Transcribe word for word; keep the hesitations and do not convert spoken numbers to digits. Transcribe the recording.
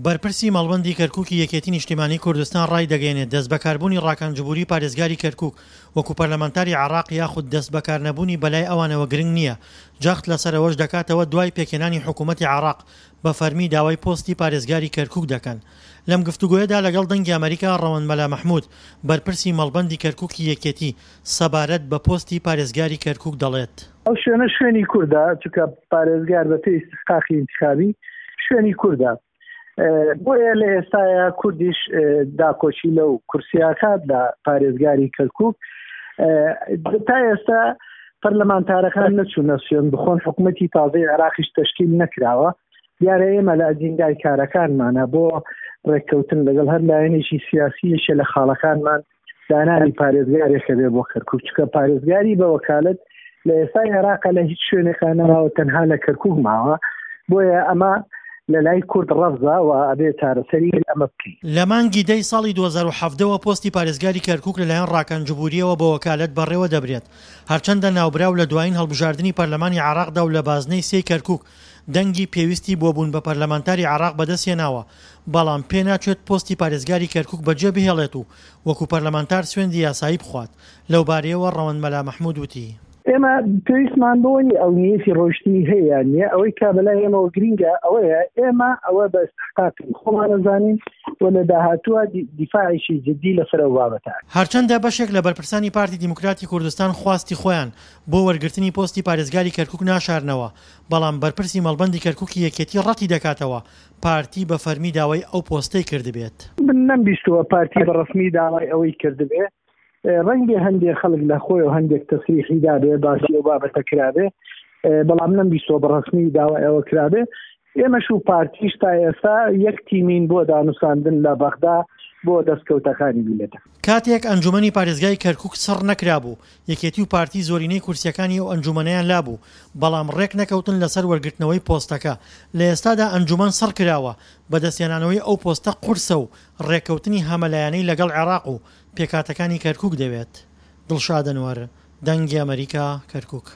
بەرپرسی مەڵبەندی کەرکوکی یەکێتی نیشتیمانی کوردستان ڕایدەگەیەنێت، دەستبەکاربوونی ڕاکان جبوری پارێزگاری کەرکوک وەکو پەرلەمانتاری عێراق یاخود دەستبەکارنەبوونی بەلای ئەوانەوە گرنگ نییە، جەخت لەسەر ئەوەش دەکاتەوە دوای پێکهێنانی حکومەتی عێراق بە فەرمی داوای پۆستی پارێزگاری کەرکوک دەکەن. لەم گفتوگۆیەدا لەگەڵ دەنگی ئەمەریکا ڕەوەند مەلا مەحمود بەرپرسی مەڵبەندی کەرکوکی یەکێتی سەبارەت بە پۆستی پارێزگاری کەرکوک دەڵێت. ئەو شوێنە شوێنی کوردە، چونکە پارێزگار بە پێی ئیستحقاقی ئینتخابی شوێنی کوردە، بۆیە لە ئێستایا کوردیش داکۆکی لەو کورسیاکات لە پارێزگاری کەرکوک. تا ئێستا پەرلەمانتارەکان نەچوونە سوێن بخۆن، حکوومەتی تازەی عێراقیش تەشکیل نەکراوە. دیارە ئێمە لە ئەجیندای کارەکانمانە بۆ ڕێککەوتن لەگەڵ هەر لایەنێکی سیاسی یەکێ لە خاڵەکانمان دانانی پارێزگارێکە بێ بۆ کەرکوک، چونکە پارێزگاری بە وەکالەت لە ئێستای عێراقە لە هیچ شوێنێکا نەماوە، تەنها لە کەرکوک ماوە. بۆیە ئەمە لە لای کورد ڕەفزە و ئەبێ چارەسەری ئەمە بکەین. لە مانگی دەی ساڵی دوو هەزار و حەڤدە وە پۆستی پارێزگاری کەرکوک لەلایەن ڕاکان جبورییەوە بە وەکالەت بەڕێوە دەبرێت، هەرچەندە ناوبراو لە دوایین هەڵبژاردنی پەرلەمانی عێراقدا و لە بازنەی سێی کەرکوک دەنگی پێویستی بۆ بوون بە پەرلەمانتاری عێراق بەدەستهێناوە، بەڵام پێناچێت پۆستی پارێزگاری کەرکوک بەجێ بهێڵێت و وەکو پەرلەمانتار سوێندی یاسایی بخوات. لەوبارەیەوە ڕەوەند مەلا مەحمود وتی. ئێمە پێویستمان بەوە نییە ئەو نیەتی ڕۆیشتنی هەیە یان نییە، ئەوەی کە بەلای ئێمەوە گرینگە ئەوەیە ئێمە ئەوە بە ئیستحقاقی خۆمان ئەزانین و لە داهاتووە دیفاعێکی جدی لەسەر ئەو بابەتە ئەکەین. هەرچەندە بەشێک لە بەرپرسانی پارتی دیموکراتی کوردستان خواستی خۆیان بۆ وەرگرتنی پۆستی پارێزگاری کەرکوک ناشارنەوە، بەڵام بەرپرسی مەڵبەندی کەرکوکی یەکێتی ڕەتی دەکاتەوە پارتی بە فەرمی داوای ئەو پۆستەی کردبێت. من نەمبیستووە پارتی بە ڕەسمی داوای ئەوەی کردبێ، ڕەنگبێ هەندێ خەڵک لە خۆیەوە هەندێک تەسریحی دابێ باسی ئەو بابەتە کرابێ، بەڵام نەمبیستووە بە ڕەسمی داوای ئەوە کرابێ. ئێمەش و پارتیش تا ئێستا یەک تیمین بۆ دانوساندن لە بەغدا بۆ دەستکەوتەکانی میللەتە. کاتێک ئەنجومەنی پارێزگای کەرکوک چڕ نەکرابوو، یەکێتی و پارتی زۆرینەی کورسییەکانی ئەو ئەنجومەنەیان لابوو، بەڵام ڕێک نەکەوتن لەسەر وەرگرتنەوەی پۆستەکە. لە ئێستادا ئەنجومەن سڕ کراوە، بەدەستهێنانەوەی ئەو پۆستە قورسە و ڕێککەوتنی هەمەلایەنەی لەگەڵ عێراق و پێکهاتەکانی کەرکوک دەوێت. دڵشاد ئەنوەر، دەنگی ئەمەریکا، کەرکوک.